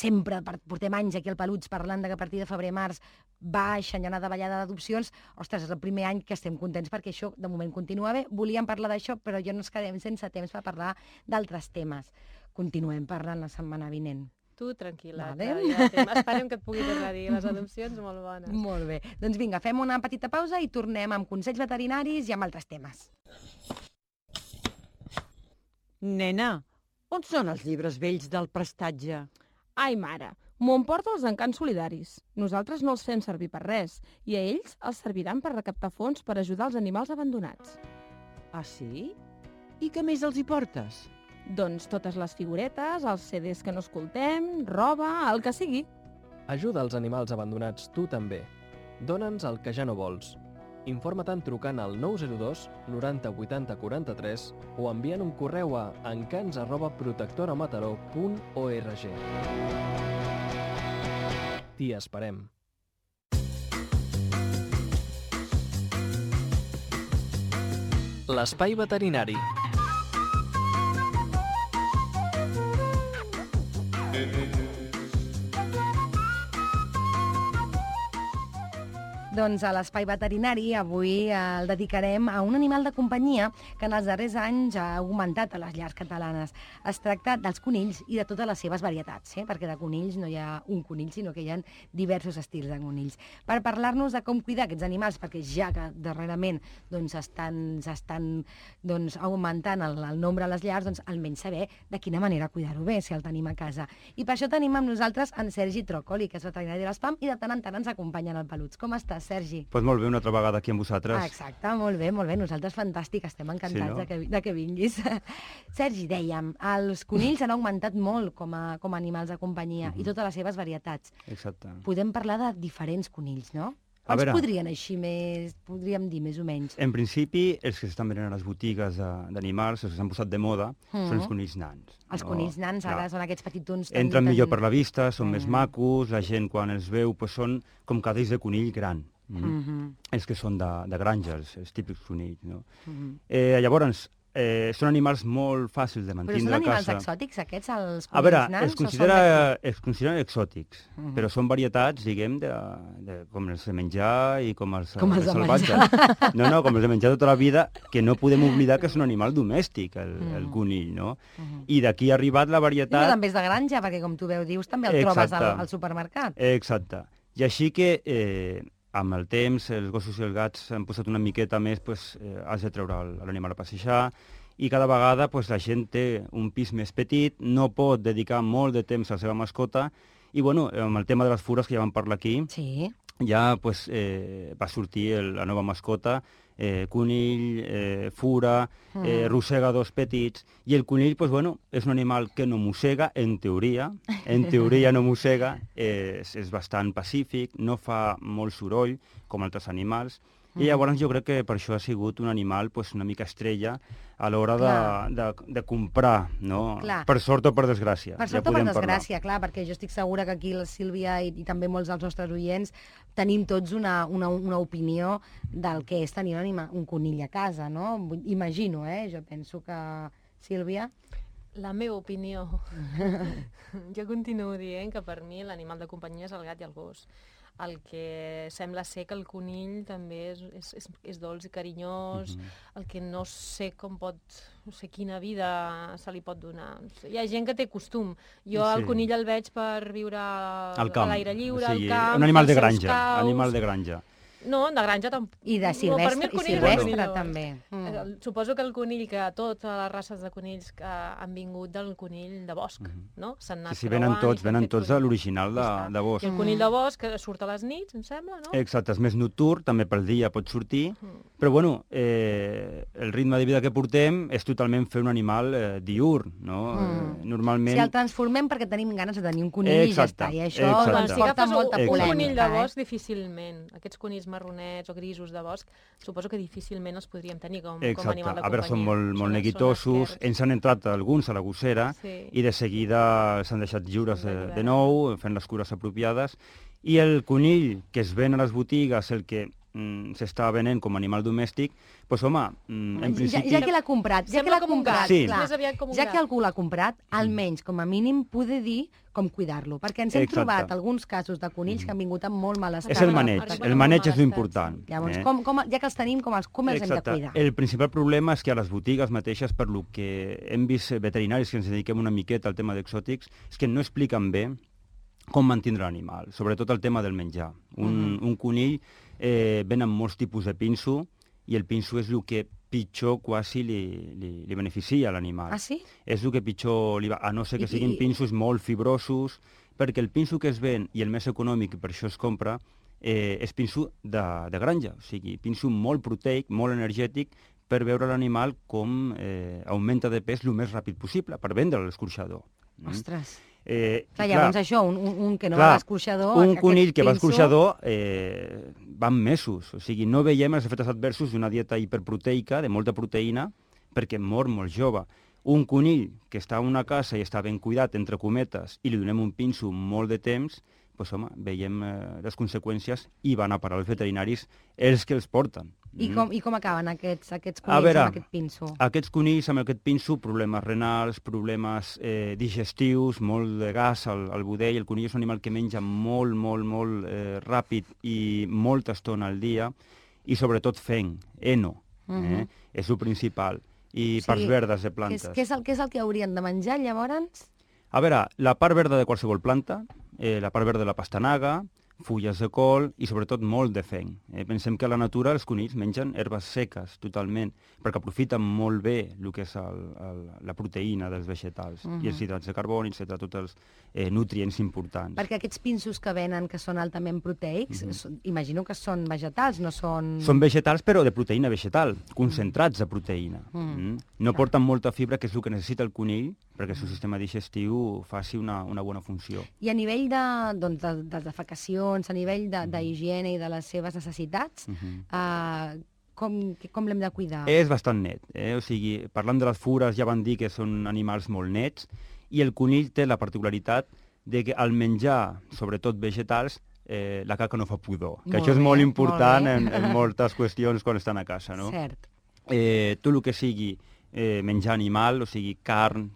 sempre portem anys aquí al Peluts parlant que a partir de febrer-març baixa, hi ha una davallada d'adopcions, ostres, és el primer any que estem contents perquè això de moment continua bé. Volíem parlar d'això, però ja no ens quedem sense temps per parlar d'altres temes. Continuem parlant la setmana vinent. Tu, tranquil·la, esperem que et pugui tornar a dir les adopcions molt bones. Molt bé. Doncs vinga, fem una petita pausa i tornem amb consells veterinaris i amb altres temes. Nena, on són els llibres vells del prestatge? Ai, mare, m'ho emporta els encants solidaris. Nosaltres no els fem servir per res i a ells els serviran per recaptar fons per ajudar els animals abandonats. Ah, sí? I què més els hi portes? Doncs totes les figuretes, els CDs que no escoltem, roba, el que sigui. Ajuda els animals abandonats tu també. Dóna'ns el que ja no vols. Informa-te'n trucant al 902 90 80 43 o enviant un correu a encants@protectoramataró.org. T'hi esperem. L'espai veterinari. Doncs a l'Espai Veterinari avui el dedicarem a un animal de companyia que en els darrers anys ha augmentat a les llars catalanes. Es tracta dels conills i de totes les seves varietats, perquè de conills no hi ha un conill, sinó que hi ha diversos estils de conills. Per parlar-nos de com cuidar aquests animals, perquè ja que darrerament estan augmentant el nombre a les llars, doncs almenys saber de quina manera cuidar-ho bé, si el tenim a casa. I per això tenim amb nosaltres en Sergi Trócoli, que és veterinari de l'ESPAM, i de tant en tant ens acompanya en el Peluts. Com estàs, Sergi? Doncs molt bé, una altra vegada aquí amb vosaltres. Exacte, molt bé. Nosaltres fantàstic, estem encantats de que vinguis. Sergi, dèiem, els conills han augmentat molt com a animals de companyia i totes les seves varietats. Exacte. Podem parlar de diferents conills, no? Quants podrien podríem dir més o menys? En principi, els que s'estan venent a les botigues d'animals, els que s'han posat de moda, són els conills nans. Els conills nans ara són aquests petitons... Entren millor per la vista, són més macos, la gent quan els veu són com cadells de conill gran. Els que són de granja, els típics conills. Llavors, són animals molt fàcils de Però mantindre són a animals casa. exòtics, aquests, els A veure, conills nans? es consideren exòtics, però són varietats, diguem, com els de menjar i com els Com els de salvatges. No, com els de menjar tota la vida, que no podem oblidar que és un animal domèstic, el conill, no? I d'aquí ha arribat la varietat... Però també és de granja, perquè com tu dius, també el trobes al supermercat. Exacte. I així que amb el temps els gossos i els gats han posat una miqueta més, has de treure l'animal a passejar, i cada vegada la gent té un pis més petit, no pot dedicar molt de temps a la seva mascota, i amb el tema de les fures, que ja vam parlar aquí, ja va sortir la nova mascota, conill, fura, rosegadors petits, i el conill és un animal que no mossega, en teoria no mossega, és bastant pacífic, no fa molt soroll, com altres animals, i llavors jo crec que per això ha sigut un animal una mica estrella a l'hora de comprar, no? Per sort o per desgràcia. Per sort o per desgràcia, clar, perquè jo estic segura que aquí la Sílvia i també molts dels nostres oients tenim tots una opinió del que és tenir un conill a casa, no? Imagino, jo penso que... Sílvia? La meva opinió. Jo continuo dient que per mi l'animal de companyia és el gat i el gos. El que sembla ser que el conill també és dolç i carinyós, el que no sé com pot, no sé quina vida se li pot donar. Hi ha gent que té costum. Jo el conill el veig per viure a l'aire lliure, al camp, un animal de granja. No, de granja tampoc. I de silvestre també. Suposo que el conill, que totes les races de conills que han vingut del conill de bosc, no? S'han anat creuant. Venen tots a l'original de bosc. I el conill de bosc surt a les nits, em sembla, no? Exacte, és més nocturn, també pel dia pot sortir, però el ritme de vida que portem és totalment fer un animal diürn, no? Normalment... Si el transformem perquè tenim ganes de tenir un conill i ja està, i això porta molta polèmica. Un conill de bosc difícilment, aquests conills marronets o grisos de bosc, suposo que difícilment els podríem tenir com animal de companyia. A veure, són molt neguitosos, ens han entrat alguns a la gossera i de seguida s'han deixat lliures de nou, fent les cures apropiades, i el conill que es ven a les botigues, el que s'està venent com a animal domèstic, doncs home, en principi... Ja que l'ha comprat, ja que algú l'ha comprat, almenys, com a mínim, poder dir com cuidar-lo, perquè ens hem trobat alguns casos de conills que han vingut amb molt mal estat. És el maneig és l'important. Llavors, ja que els tenim, com els hem de cuidar? El principal problema és que a les botigues mateixes, per lo que hem vist veterinaris que ens dediquem una miqueta al tema d'exòtics, és que no expliquen bé com mantindre l'animal, sobretot el tema del menjar. Un conill ven amb molts tipus de pinso, i el pinso és el que pitjor quasi li beneficia a l'animal. Ah, sí? És el que pitjor li va, a no ser que siguin pinsos molt fibrosos, perquè el pinso que es ven, i el més econòmic, per això es compra, és pinso de granja, o sigui, pinso molt proteic, molt energètic, per veure l'animal com augmenta de pes el més ràpid possible, per vendre a l'escorxador. Ostres! Llavors això, un que no va a l'escorxador... Un conill que va a l'escorxador van mesos, o sigui, no veiem els efectes adversos d'una dieta hiperproteica, de molta proteïna, perquè mor molt jove. Un conill que està en una casa i està ben cuidat, entre cometes, i li donem un pinso molt de temps, doncs home, veiem les conseqüències i van a parar els veterinaris els que els porten. I com acaben aquests conills amb aquest pinso? Aquests conills amb aquest pinso, problemes renals, problemes digestius, molt de gas al budell. El conill és un animal que menja molt ràpid i molta estona al dia, i sobretot fenc, heno, és el principal, i parts verdes de plantes. Què és el que haurien de menjar, llavors? A veure, la part verda de qualsevol planta, la part verda de la pastanaga, fulles de col i sobretot molt de fenc. Pensem que a la natura els conills mengen herbes seques totalment, perquè aprofiten molt bé el que és la proteïna dels vegetals, i els hidrats de carboni, etc., tots els nutrients importants. Perquè aquests pinsos que venen, que són altament proteics, imagino que són vegetals, no són... Són vegetals, però de proteïna vegetal, concentrats de proteïna. No porten molta fibra, que és el que necessita el conill, perquè el seu sistema digestiu faci una bona funció. I a nivell de defecacions, a nivell d'higiene i de les seves necessitats, com l'hem de cuidar? És bastant net. O sigui, parlant de les fures, ja van dir que són animals molt nets, i el conill té la particularitat de que al menjar, sobretot vegetals, la caca no fa pudor. Que això és molt important en moltes qüestions quan estan a casa, no? Cert. Tot el que sigui menjar animal, o sigui, carn,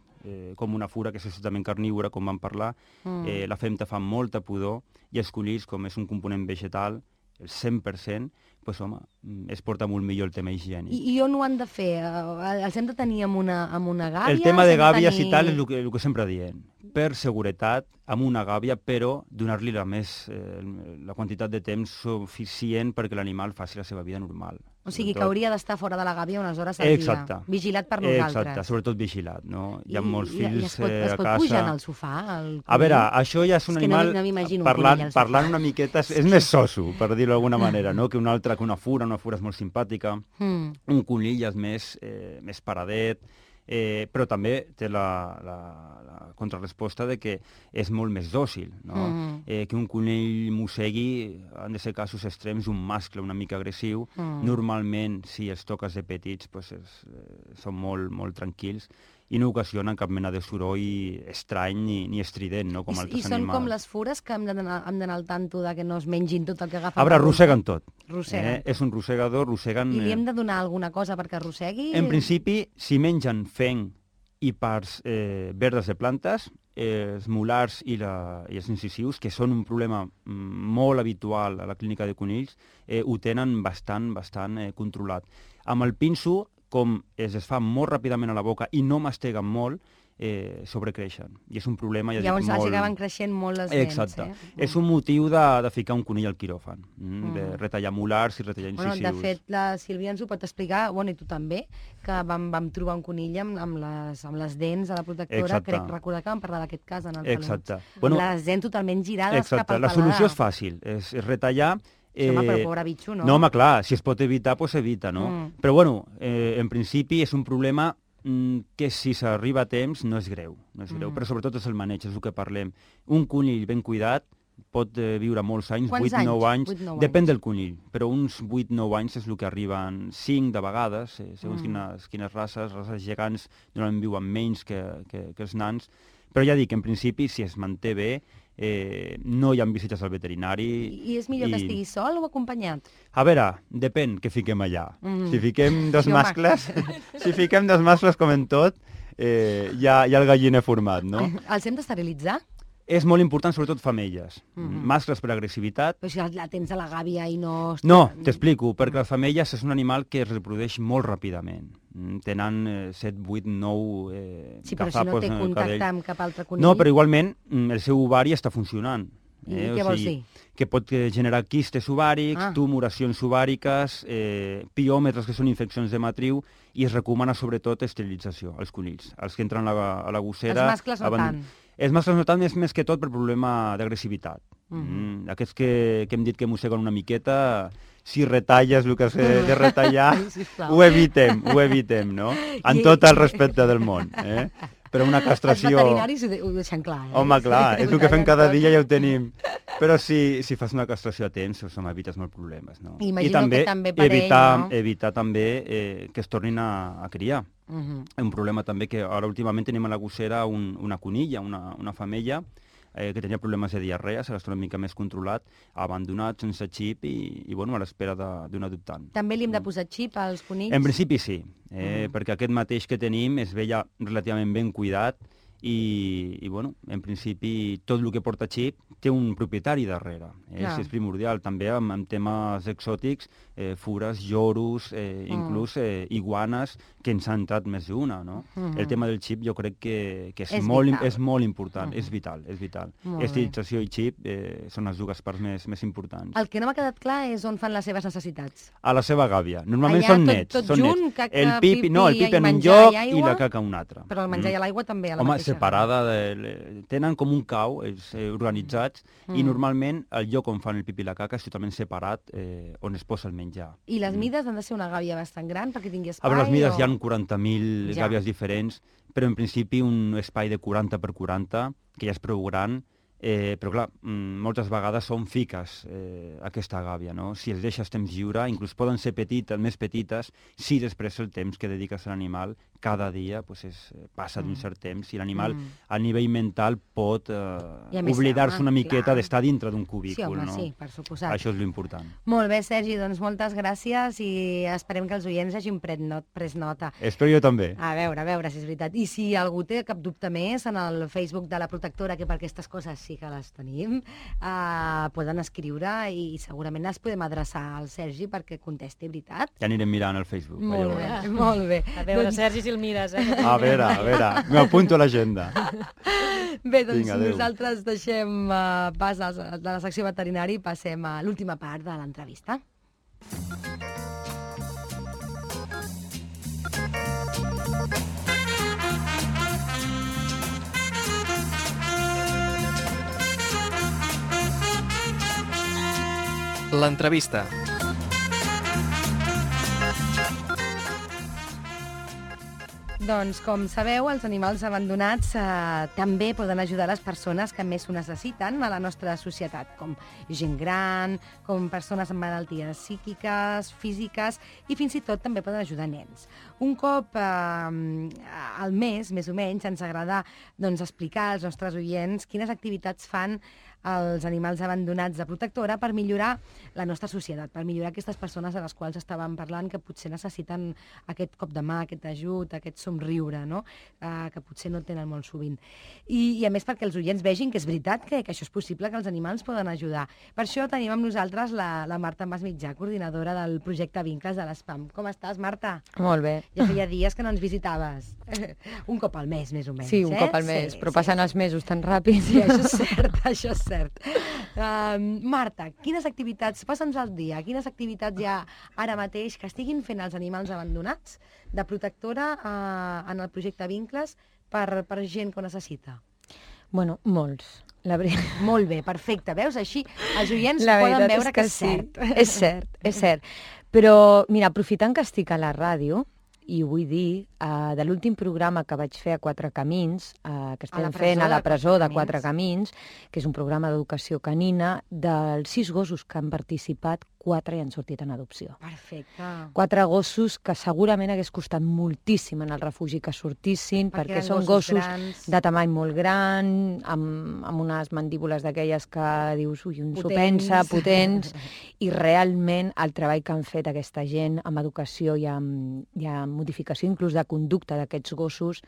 com una fura, que és absolutament carnívora, com vam parlar. La femta fa molta pudor, i els conills, com és un component vegetal, el 100%, doncs, home, es porta molt millor el tema higiènic. I on ho han de fer? Els hem de tenir amb una gàbia? El tema de gàbies i tal és el que sempre diem. Per seguretat, amb una gàbia, però donar-li la quantitat de temps suficient perquè l'animal faci la seva vida normal. O sigui, que hauria d'estar fora de la gàbia unes hores al dia. Vigilat per nosaltres. Exacte, sobretot vigilat, no? Hi ha molts fills a casa. Es pot pujar en el sofà? A veure, això ja és un animal... Parlant una miqueta, és més soso, per dir-ho d'alguna manera, no? Que una altra, que una fura és molt simpàtica. Un conill és més paradet, però també té la contrarresposta de que és molt més dòcil, no? Que un conill mossegui, han de ser casos extrems, un mascle una mica agressiu. Normalment, si els toques de petits, són molt tranquils i no ocasionen cap mena de soroll estrany ni estrident, no? Com altres animals. I són com les fures que hem d'anar al tanto de que no es mengin tot el que agafen? A veure, arrosseguen tot. Rosseguen. És un rossegador, rosseguen... I li hem de donar alguna cosa perquè arrossegui? En principi, si mengen fenc i parts verdes de plantes, els molars i els incisius, que són un problema molt habitual a la clínica de conills, ho tenen bastant controlat. Amb el pinso, com es fa molt ràpidament a la boca i no masteguen molt, sobrecreixen. I és un problema, ja dic, molt... Llavors acaben creixent molt les dents. Exacte. És un motiu de ficar un conill al quiròfan, de retallar molars i retallar incisius. De fet, la Sílvia ens ho pot explicar, i tu també, que vam trobar un conill amb les dents a la protectora. Crec recordar que vam parlar d'aquest cas en el Peluts. Exacte. Amb les dents totalment girades cap al paladar. La solució és fàcil, és retallar... Home, però pobre bitxo, no? No, home, clar, si es pot evitar, doncs s'evita, no? Però, bueno, en principi és un problema que si s'arriba a temps no és greu, però sobretot és el maneig, és el que parlem. Un conill ben cuidat pot viure molts anys, 8-9 anys, depèn del conill, però uns 8-9 anys és el que arriben 5 de vegades, segons quines races gegants normalment viuen menys que els nans, però ja dic, en principi, si es manté bé, no hi ha visites al veterinari. I és millor que estigui sol o acompanyat? A veure, depèn què fiquem allà. Si fiquem dos mascles com en tot, hi ha el galliner format, no? Els hem d'esterilitzar? És molt important, sobretot femelles. Mascles per agressivitat. Però si la tens a la gàbia i no... No, t'explico, perquè les femelles és un animal que es reprodueix molt ràpidament. Tenen 7, 8, 9 sí, però si no té contacte amb cap altre conill... No, però igualment el seu ovari està funcionant. I què vols dir? Que pot generar quistes ovàrics, tumoracions ovàriques, piòmetres, que són infeccions de matriu, i es recomana sobretot esterilització als conills. Els que entren a la gossera... Els mascles no tant. Els mascles no tant, més que tot per problema d'agressivitat. Aquests que hem dit que mosseguen una miqueta, si retalles el que has de retallar, ho evitem, no? En tot el respecte del món. Però una castració... Els veterinaris ho deixen clar. Home, clar, és el que fem cada dia, ja ho tenim. Però si fas una castració a temps, evites molts problemes, no? I també per evitar també que es tornin a criar. Un problema també que ara últimament tenim a la gossera una conilla, una femella, que tenia problemes de diarrea, s'ha estat una mica més controlat, abandonat, sense xip i bueno, a l'espera d'un adoptant. També li hem de posar xip als conills? En principi sí, perquè aquest mateix que tenim es veia relativament ben cuidat i bueno, en principi tot el que porta xip té un propietari darrere. És primordial. També amb temes exòtics, fures, lloros, inclús iguanes, que ens han entrat més d'una, no? El tema del xip jo crec que és molt important, és vital. Esterilització i xip són les dues parts més importants. El que no m'ha quedat clar és on fan les seves necessitats. A la seva gàbia. Normalment són nets. Tot junt, caca, el pipi en un lloc i la caca en un altre. Però el menjar i l'aigua també a la mateixa. Separada, tenen com un cau, organitzats, i normalment el lloc on fan el pipi i la caca és totalment separat on es posa el menjar. I les mides han de ser una gàbia bastant gran perquè tingui espai? A veure, les mides hi ha 40.000 gàbies diferents, però en principi un espai de 40 per 40, que ja és prou gran, però clar, moltes vegades són fiques aquesta gàbia, no? Si els deixes temps lliure, inclús poden ser més petites, si després el temps que dediques a l'animal cada dia passa d'un cert temps i l'animal a nivell mental pot oblidar-se una miqueta d'estar dintre d'un cubícul. Sí, per suposat. Això és l'important. Molt bé, Sergi, doncs moltes gràcies i esperem que els oients hagin pres nota. Espero jo també. A veure si és veritat. I si algú té cap dubte més en el Facebook de la Protectora, que per aquestes coses sí que les tenim, poden escriure i segurament els podem adreçar al Sergi perquè contesti, veritat? Ja anirem mirant al Facebook. Molt bé. A veure, Sergi, si el mires, A veure, m'apunto a l'agenda. Bé, doncs nosaltres deixem pas de la secció veterinari i passem a l'última part de l'entrevista. L'entrevista. Doncs, com sabeu, els animals abandonats també poden ajudar les persones que més ho necessiten a la nostra societat, com gent gran, com persones amb malalties psíquiques, físiques, i fins i tot també poden ajudar nens. Un cop al mes, més o menys, ens agrada explicar als nostres oients quines activitats fan els animals abandonats de Protectora per millorar la nostra societat, per millorar aquestes persones a les quals estàvem parlant que potser necessiten aquest cop de mà, aquest ajut, aquest somriure, no? Que potser no tenen molt sovint. I a més perquè els oients vegin que és veritat que això és possible, que els animals poden ajudar. Per això tenim amb nosaltres la Marta Masmitjà, coordinadora del projecte Vincles de l'ESPAM. Com estàs, Marta? Molt bé. Ja feia dies que no ens visitaves. Un cop al mes, més o menys. Sí, un cop al mes, però passen els mesos tan ràpid. Sí, això és cert, això és cert. Marta, quines activitats, passa'ns al dia, quines activitats hi ha ara mateix que estiguin fent els animals abandonats de Protectora en el projecte Vincles per gent que ho necessita? Bueno, molts. Molt bé, perfecte. Veus? Així els oients poden veure que és cert. És cert. Però, mira, aprofitant que estic a la ràdio, i ho vull dir, de l'últim programa que vaig fer a Quatre Camins, que estem fent a la presó de Quatre Camins, que és un programa d'educació canina, dels 6 gossos que han participat, 4 hi han sortit en adopció. Perfecte. 4 gossos que segurament hagués costat moltíssim en el refugi que sortissin, perquè són gossos de tamany molt gran, amb unes mandíbules d'aquelles que dius, ui, un s'ho pensa, potents, i realment el treball que han fet aquesta gent amb educació i amb modificació inclús de conducta d'aquests gossos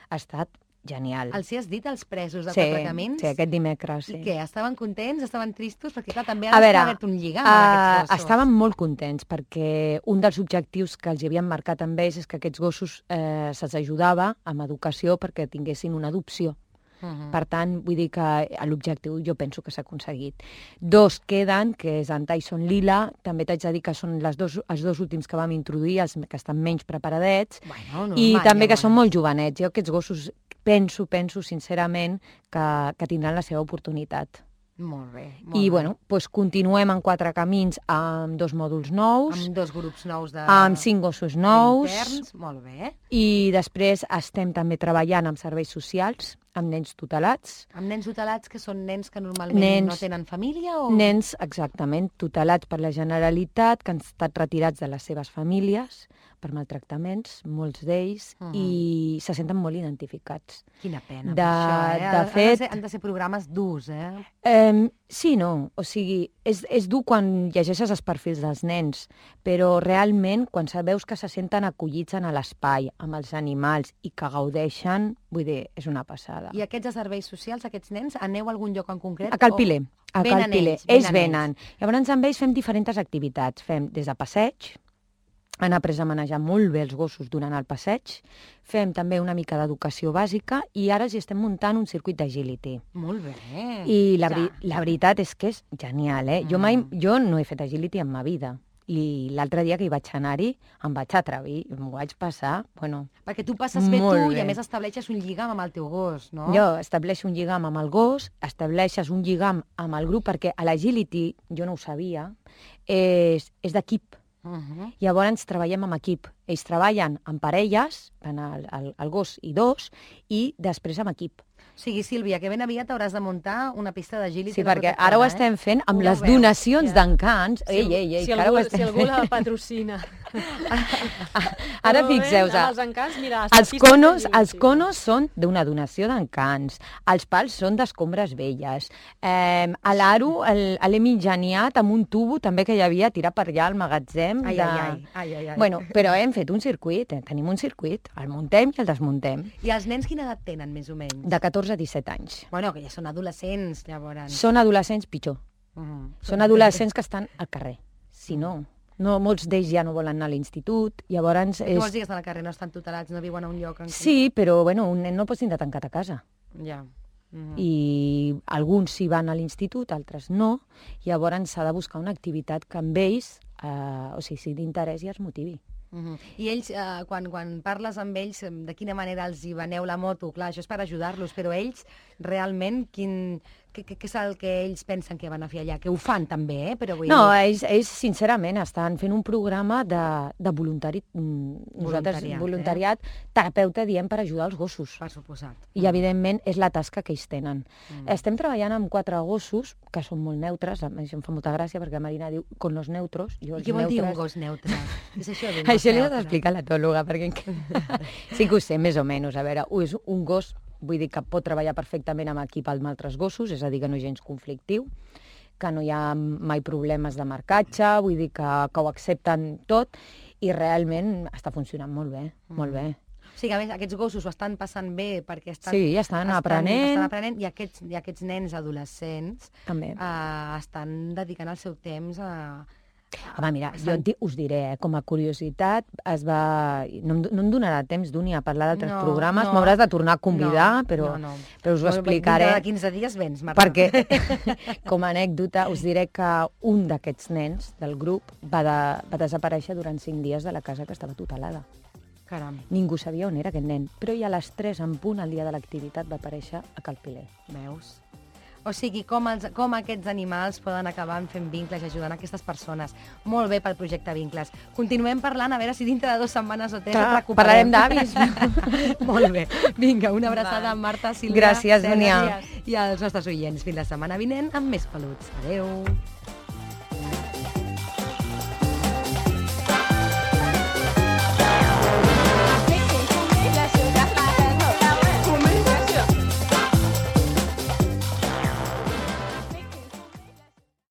ha estat genial. Els hi has dit als presos de Quatre Camins? Sí, aquest dimecres. I què? Estaven contents? Estaven tristos? Perquè clar, també ha d'haver un lligam amb aquests gossos. Estaven molt contents perquè un dels objectius que els havien marcat amb ells és que aquests gossos se'ls ajudava amb educació perquè tinguessin una adopció. Per tant, vull dir que l'objectiu jo penso que s'ha aconseguit. 2 queden, que és en Tyson Lila, també t'haig de dir que són els dos últims que vam introduir, els que estan menys preparadets, i també que són molt jovenets. Jo aquests gossos penso sincerament que tindran la seva oportunitat. Molt bé. I, bueno, doncs continuem en Quatre Camins amb 2 mòduls nous. Amb 2 grups nous de... Amb 5 gossos nous. Interns, molt bé. I després estem també treballant amb serveis socials, amb nens tutelats. Amb nens tutelats, que són nens que normalment no tenen família? O... Nens, exactament, tutelats per la Generalitat, que han estat retirats de les seves famílies per maltractaments, molts d'ells, i se senten molt identificats. Quina pena, això, De fet... Han de ser programes durs, eh? Sí, no. O sigui, és dur quan llegeixes els perfils dels nens, però realment, quan veus que se senten acollits en l'espai, amb els animals, i que gaudeixen, vull dir, és una passada. I aquests serveis socials, aquests nens, aneu a algun lloc en concret? A Calpiler. Ells venen. Llavors, amb ells fem diferents activitats. Fem des de passeig, han après a manejar molt bé els gossos durant el passeig, fem també una mica d'educació bàsica i ara els estem muntant un circuit d'agility. Molt bé. I la veritat és que és genial, eh? Jo no he fet agility en ma vida. I l'altre dia que hi vaig anar-hi, em vaig atrevir, m'ho vaig passar, bueno... Perquè tu passes bé tu i a més estableixes un lligam amb el teu gos, no? Jo estableixo un lligam amb el gos, estableixes un lligam amb el grup, perquè a l'agility, jo no ho sabia, és d'equip. Llavors treballem amb equip. Ells treballen en parelles, el gos i 2, i després amb equip. O O sigui, Sílvia, que ben aviat hauràs de muntar una pista de agility. Sí, perquè ara ho estem fent amb les donacions d'encants. Si algú la patrocina. Ara fixeu-vos, els conos són d'una donació d'encants, els pals són d'escombres velles, a l'aro l'hem ingeniat amb un tubo també que hi havia tirat per allà al magatzem. Bueno, però hem fet un circuit, tenim un circuit, el muntem i el desmuntem. I els nens quina edat tenen, més o menys? De 14 a 17 anys. Bueno, que ja són adolescents, llavors. Són adolescents pitjor. Són adolescents que estan al carrer. Si no, molts d'ells ja no volen anar a l'institut, llavors... Tu vols dir que estan al carrer, no estan tutelats, no viuen a un lloc... Sí, però bueno, un nen no el pots tindre tancat a casa. Ja. I alguns sí van a l'institut, altres no, llavors s'ha de buscar una activitat que amb ells, o sigui, si d'interès i els motivi. I ells, quan parles amb ells, de quina manera els hi veneu la moto? Clar, això és per ajudar-los, però ells realment, què és el que ells pensen que van a fer allà? Que ho fan també, però vull dir... No, ells sincerament estan fent un programa de voluntariat terapeuta, diem, per ajudar els gossos. Per suposat. I evidentment és la tasca que ells tenen. Estem treballant amb 4 gossos, que són molt neutres, això em fa molta gràcia perquè la Marina diu con los neutros. I què vol dir un gos neutre? Això li has d'explicar a l'etòloga, perquè sí que ho sé, més o menys. A veure, és un gos, vull dir que pot treballar perfectament amb equip amb altres gossos, és a dir, que no és gens conflictiu, que no hi ha mai problemes de marcatge, vull dir que ho accepten tot, i realment està funcionant molt bé, molt bé. O sigui, a més, aquests gossos ho estan passant bé perquè estan aprenent. I aquests nens adolescents també estan dedicant el seu temps a... Home, mira, jo us diré, com a curiositat, no em donarà temps d'un a parlar d'altres programes, m'hauràs de tornar a convidar, però us ho explicaré. De 15 dies vens, Marta. Perquè, com a anècdota, us diré que un d'aquests nens del grup va desaparèixer durant 5 dies de la casa que estava tutelada. Caram. Ningú sabia on era aquest nen, però ja a les 3 en punt, el dia de l'activitat, va aparèixer a Cal Piler. Veus? O sigui, com aquests animals poden acabar fent vincles i ajudant aquestes persones. Molt bé pel projecte Vincles. Continuem parlant, a veure si dintre de 2 setmanes o 3 et recuperem. Parlarem d'avis. Molt bé. Vinga, una abraçada a Marta, Sílvia. Gràcies, Dúnia. I als nostres oients. Fins la setmana vinent amb més peluts. Adéu.